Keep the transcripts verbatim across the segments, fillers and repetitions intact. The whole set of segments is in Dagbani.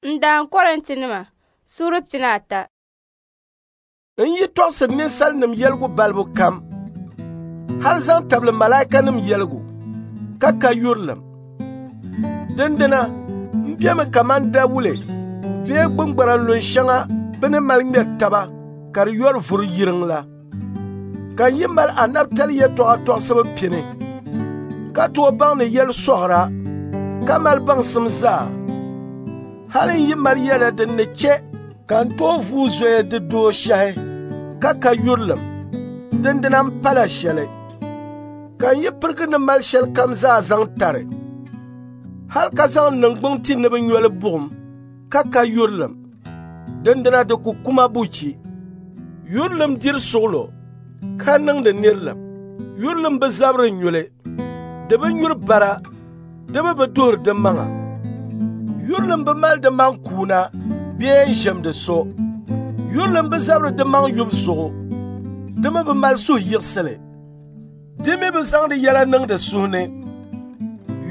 N daan Kɔrintinima suura pina ata. N yi tɔɣisiri ninsalinim yɛligu balibu kam, hal zaŋ tabili malaikanim yɛligu, ka ka yurilim, dindina m bemi kaman dawule bee gbuŋgbara lun shɛŋa bɛ ni mali ŋmɛri taba ka di yɔri vuri yiriŋ la. Ka n yi mali anabitali yɛtɔɣa tɔɣisibu pini, ka tooi baŋdi yɛlisɔɣira, ka mali baŋsim zaa, hal n yi mali yɛda din ni chɛ ka n tooi vuui zoya di dooshɛhi ka ka yurilim, dindina m pala shɛli. Ka n yi pirigi ni mali shɛlikam zaa zaŋ tari, hal ka zaŋ n niŋgbuŋ ti ni bɛ nyo li buɣim ka ka yurilim, dindina di ku kuma buchi. Yurilim diri suɣulo ka niŋdi nirilim. Yurilim bi zabiri nyuli, di bi nyuri bara, di mi bi duhiri di maŋa. Yurilim bi mali di maŋ kuuna bee n-ʒemdi so. Yurilim bi zabiri di maŋ yubu zuɣu, di mi bi mali suhuyiɣisili. Di mi bi zaŋdi yɛla niŋdi suhu ni.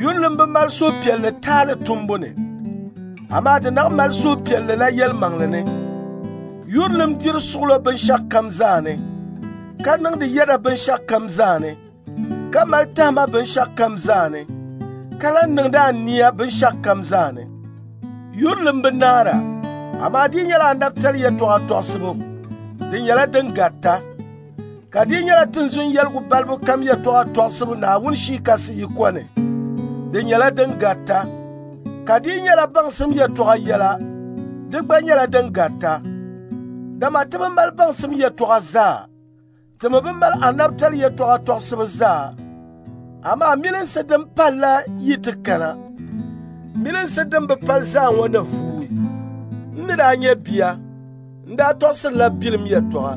Yurilim bi mali suhupiɛlli taali tumbu ni, amaa di naɣ mali suhupiɛlli la yɛlimaŋli ni. Yurilim diri suɣulo binshɛɣukam zaa ni, ka niŋdi yɛda binshɛɣukam zaa ni, ka mali tahima binshɛɣukam zaa ni, ka lan niŋdi ania binshɛɣukam zaa ni. Yurilim bi naara, amaa di nyɛla anabitali yɛtɔɣa tɔɣisibu, di nyɛla din garita. Ka di nyɛla tinzun yɛligu balibu kam yɛtɔɣa tɔɣisibu Naawuni Shii Kasi yiko ni, di nyɛla din garita. Ka di nyɛla baŋsim yɛtɔɣa yɛla, di gba nyɛla din garita. Dama ti bi mali baŋsim yɛtɔɣa zaa, ti mi bi mali anabitali yɛtɔɣa tɔɣisibu zaa. Amaa milinsi din pali la yi ti kana, milinsi din bi pali zaa ŋɔ ni vuui. N ni daa nyɛ bia, n daa tɔɣisirila bilim yɛtɔɣa,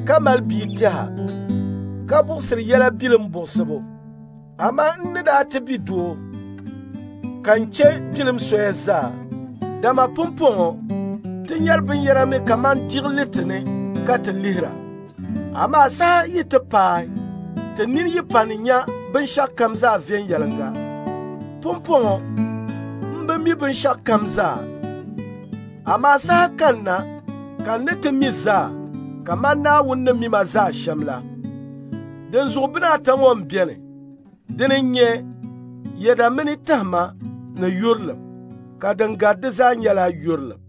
ka mali bia tɛha, ka buɣisiri yɛla bilim buɣisibu. Amaa n ni daa ti bi doo, ka n chɛ bilim soya zaa. Dama pumpɔŋɔ ti nyari binyɛra mi kaman diɣiliti ni ka ti lihira. Amaa saha yi ti paai, ti nini yi pa ni nya binshɛɣukam zaa viɛnyɛliŋga. Pumpɔŋɔ m bi mi binshɛɣukam zaa, amaa saha kanna ka n ni ti mi zaa kaman Naawuni ni mi ma zaa shɛm la. Dinzuɣu bina ata ŋɔ m-beni, dini n-nyɛ yɛda mini tahima ni yurilim, ka din gari di zaa nyɛla yurilim.